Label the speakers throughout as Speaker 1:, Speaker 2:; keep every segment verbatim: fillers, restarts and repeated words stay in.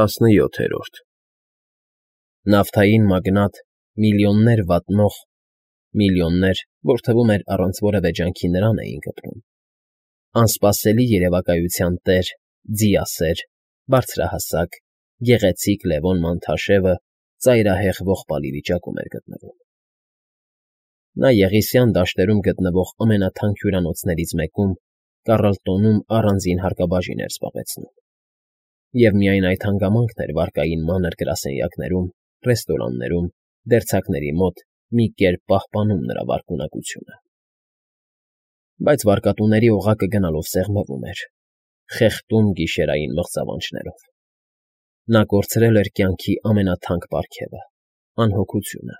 Speaker 1: ՏԱՍՆՅՈԹԵՐՈՐԴ Նավթային մագնատ, միլիոններ վատնող, միլիոններ, որ թվում էր առանց որևէ ջանքի նրան էին կպրում, անսպասելի երևակայության տեր, ձիասեր, բարձրահասակ, գեղեցիկ Լևոն Մանթաշևը ծայրահեղ ողբալի վիճակում էր գտնվում. նա Եղիսյան դաշտերում գտնվող ամենաթանկ հյուրանոցներից մեկում, Կառլտոնում առանձին հարկաբաժին էր զբաղեցնում, և միայն այդ հանգամանքն էր վարկային մանր գրասենյակներում, ռեստորաններում, դերձակների մոտ մի կերպ պահպանում նրա վարկունակությունը. բայց վարկատուների օղակը գնալով սեղմվում էր, խեղդում գիշերային մղձավանջներով. նա կորցրել էր կյանքի ամենաթանկ պարգևը՝ անհոգությունը,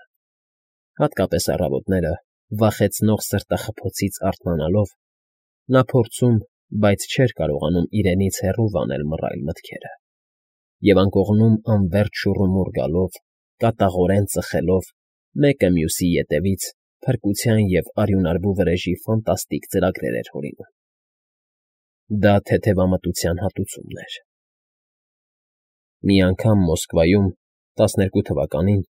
Speaker 1: հատկապես առավոտները, վախեցնող սրտախփոցից արթնանալով, նա փորձում, բայց չէր կարողանում իրենից հեռու վանել մռայլ մտքերը, և անկողնում անվերջ շուռումուռ գալով, կատաղորեն ծխելով, մեկը մյուսի ետևից փրկության և արյունարբու վրեժի ֆանտաստիկ ծրագրեր էր հորինում. դա թեթևամտության հատուցումն էր. Մի անգամ Մոսկվայում, տասներկու թվականին,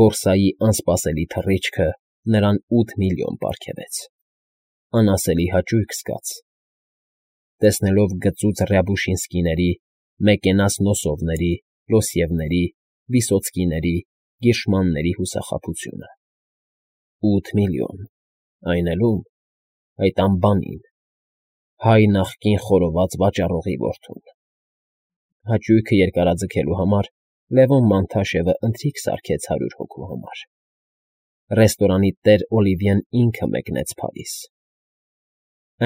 Speaker 1: բորսայի անսպասելի թռիչքը նրան ութ միլիոն պարգևեց, անասելի հաճույք զգաց, տեսնելով գծուծ Ռյաբուշինսկիների, Մեկենաս Նոսովների, Լոսևների, Վիսոցկիների, Գիրշմանների հուսախաբությունը. ութ միլիոն, այն էլ ո՞ւմ, այդ անբանին, հայ նախկին խորոված վաճառողի որդուն… Հաճույքը երկարաձգելու համար Լևոն Մանթաշևը ընթրիք սարքեց հարյուր հոգու համար. ռեստորանի տեր Օլիվիեն ինքը մեկնեց Փարիզ,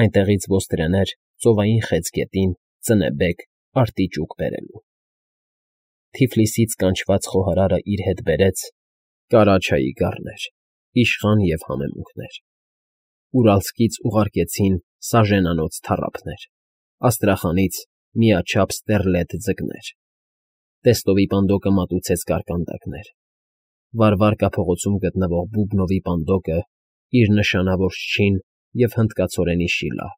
Speaker 1: այնտեղից ոստրեներ Ծովային խեցգետին ծնեբեկ, arտիճուկ բերելու. Թիֆլիսից կանչված խոհարարը իր հետ բերեց Կարաչայի գառներ, իշխան և համեմունքներ, Ուրալսկից ուղարկեցին սաժենանոց թառափներ, Աստրախանից միաչափ ստեռլետ ձկներ, Տեստովի պանդոկը մատուցեց կարկանդակներ, Վարվարկա փողոցում գտնվող Բուբնովի պանդոկը իր նշանավոր չին և հնդկացորենի շիլա,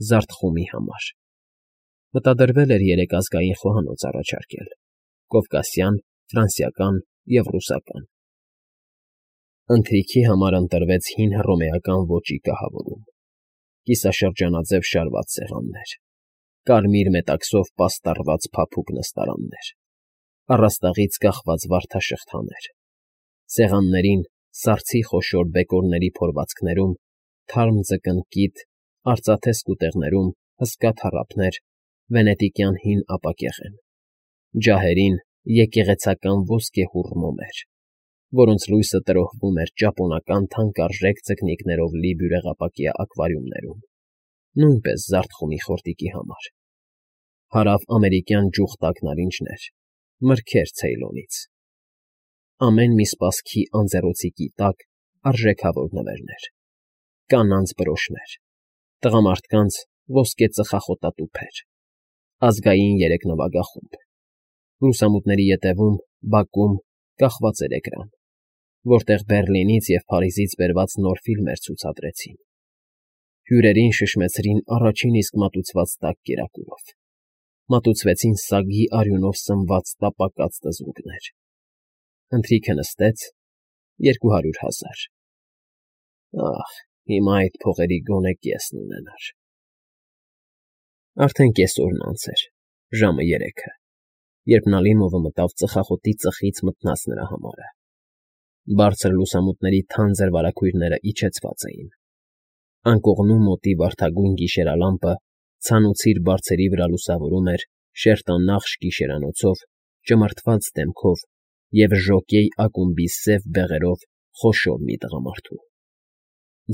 Speaker 1: Զարթխումի համար, մտադրվել էր երեք ազգային խոհանոց առաջարկել՝ կովկասյան, ֆրանսիական և ռուսական. ընթրիքի համար ընտրվեց հին հռոմեական ոճի կահավորում, կիսաշրջանաձև շարված սեղաններ, կարմիր մետաքսով պաստառված փափուկ նստարաններ, առաստաղից կախված վարդաշղթաներ, սեղաններին, սառցի խոշոր բեկորների փորվածքներում, թարմ ձկնկիթ, արծաթե սկուտեղներում հսկա թառափներ, վենետիկյան հին ապակեղեն, ջահերին եկեղեցական ոսկեհուռ մոմեր, որոնց լույսը տրոհվում էր ճապոնական թանկարժեք ձկնիկներով լի բյուրեղապակյա ակվարիումներում, նույնպես Զարթխումի խորտիկի համար, հարավամերիկյան ջուխտակ նարինջներ, մրգեր Ցեյլոնից, ամեն մի սպասքի անձեռոցիկի տակ արժեքավոր նվերներ, կանանց բրոշներ, տղամարդկանց ոսկե ծխախոտատուփեր, ազգային երեք նվագախումբ, լուսամուտների ետևում, բակում կախված էր էկրան, որտեղ Բեռլինից և Փարիզից բերված նոր ֆիլմեր ցուցադրեցին, հյուրերին շշմեցրին առաջին իսկ մատուցված տաք կերակուրով, մատուցվեցին սագի արյունով սնված տապակած թզուկներ, ընթրիքը նստեց երկու հարյուր հազար… Ահ, հիմա այդ փողերի գոնե կեսն ունենար… Արդեն կեսօրն անց էր, ժամը երեքը, երբ Նալիմովը մտավ ծխախոտի ծխից մթնած նրա համարը, բարձր լուսամուտների թանձր վարագույրներն իջեցված էին, անկողնու մոտի վարդագույն գիշերալամպը ցանուցիր բարձերի վրա լուսավորում էր շերտանախշ գիշերանոցով, ճմրթված դեմքով և ժոկեյ ակումբի սև բեղերով խոշոր մի տղամարդու…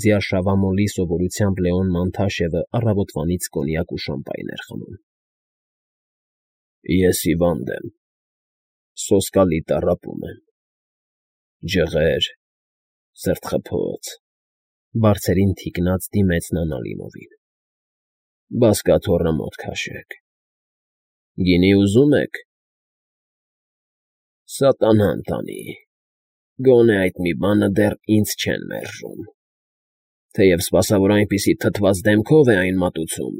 Speaker 1: Ձիարշավամոլի սովորությամբ Լեոն Մանթաշևը առավոտվանից կոնյակ ու շամպայն էր խմում։ ֊ Ես հիվանդ եմ, սոսկալի տառապում եմ, ջղեր, սրտխփոց, բարձերին թիկնած դիմեց նա Նալիմովին, բազկաթոռը մոտ քաշեք… Գինի ուզում եք… Սատանան տանի, գոնե այդ մի բանը դեռ ինձ չեն մերժում, թեև սպասավոր այնպիսի թթված դեմքով է այն մատուցում,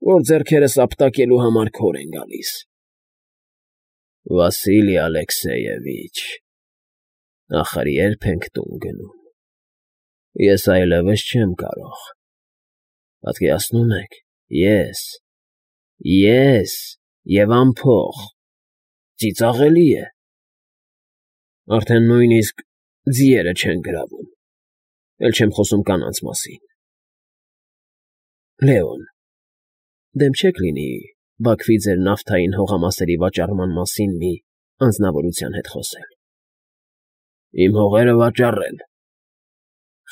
Speaker 1: որ ձեռքերս ապտակելու համար քոր են գալիս… Վասիլի Ալեքսեյևիչ, ախր ե՞րբ ենք տուն գնում։ Ես այլևս չեմ կարող։ Պատկերացնում եք, ես, ես և անփող, ծիծաղելի է։ Արդեն նույնիսկ ձիերը չեն գրավում, էլ չեմ խոսում կանանց մասին։ Լեոն, դեմ չեք լինի Բաքվի ձեր նավթային հողամասերի վաճառման մասին մի անձնավորության հետ խոսել։ Իմ հողերը վաճառել։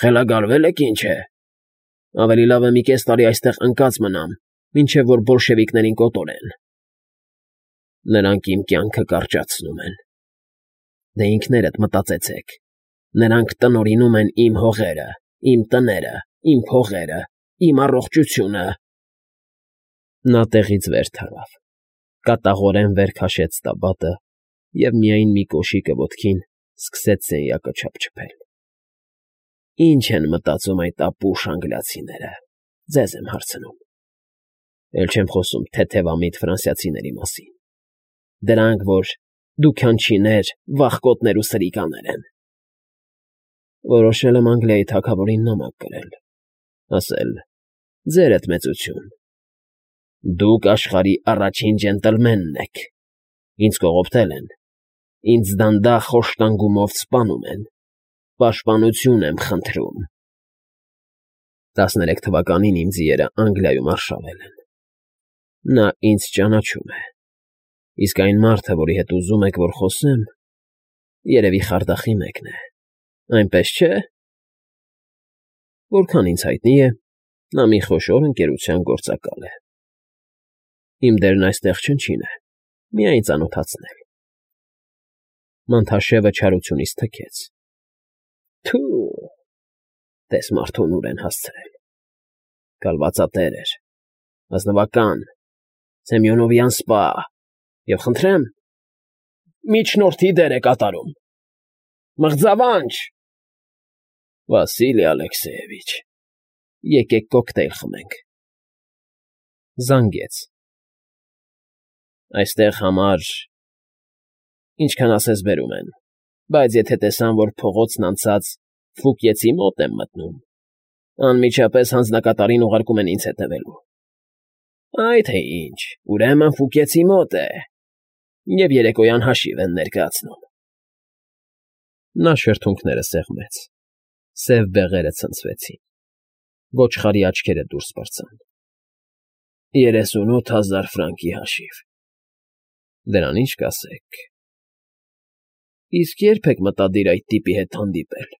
Speaker 1: Խելագարվե՞լ եք, ինչ է։ Ավելի լավ է մի կես տարի այստեղ ընկած մնամ, մինչև որ բոլշևիկներին կոտորեն։ Նրանք իմ կյանքը կարճացնում են։ Դե ինքներդ մտածեցեք։ Նրանք տնօրինում են իմ հողերը, իմ տները, իմ փողերը, իմ առողջությունը։ Նա տեղից վեր թռավ, կատաղորեն վեր քաշեց տաբատը և միայն մի կոշիկը ոտքին սկսեց սենյակը չափչփել։ Ինչ են մտածում այդ ապուշ անգլիացիները, ձեզ եմ հարցնում։ Էլ չեմ խոսում թեթևամիտ ֆրանսիացիների մասին։ Դրանք, որ դուքանչիներ, վախկոտներ ու սրիկաներ են։ Որոշել եմ Անգլիայի թագավորին նամակ գրել, ասել. «Ձերդ մեծություն, դուք աշխարհի առաջին ջենտլմենն եք, ինձ կողոպտել են, ինձ դանդաղ խոշտանգումով սպանում են, պաշտպանություն եմ խնդրում»։ Տասներեք թվականին իմ ձիերը Անգլիայում արշավել են։ Նա ինձ ճանաչում է, իսկ այն մարդը, որի հետ ուզում եք, որ խոսեմ, երևի խարդախի մեկն է, այնպես չէ՞։ Որքան ինձ հայտնի է, նա մի խոշոր ընկերության գործակալ է։ Իմ դերն այստեղ չնչին է, միայն ծանոթացնել։ Մանթաշևը չարությունից թքեց։ Թո՛ւ, տես մարդուն ուր են հասցրել։ Կալվածատեր էր, ազնվական, Սեմյոնովյան սպա, և խնդրեմ, միջնորդի դեր է կատարում։ Մղձավանջ։ Վասիլի Ալեքսեյևիչ, եկեք կոկտեյլ խմենք։ Զանգեց։ Այստեղ համար… ինչքան ասես բերում են, բայց եթե տեսան, որ փողոցն անցած Ֆուկիեցի մոտ եմ մտնում, անմիջապես հանձնակատարին ուղարկում են ինձ հետևելու։ Այ թե ինչ, ուրեմն Ֆուկիեցի մոտ է, և երեկոյան հաշիվ են ներկայացնում։ Նա շրթունքները սեղմեց, սև բեղերը ցնցվեցին, ոչխարի աչքերը դուրս պրծան։ Երեսունութ հազար ֆրանկի հաշիվ։ Դրան ի՞նչ կասեք։ Իսկ ե՞րբ եք մտադիր այդ տիպի հետ հանդիպել։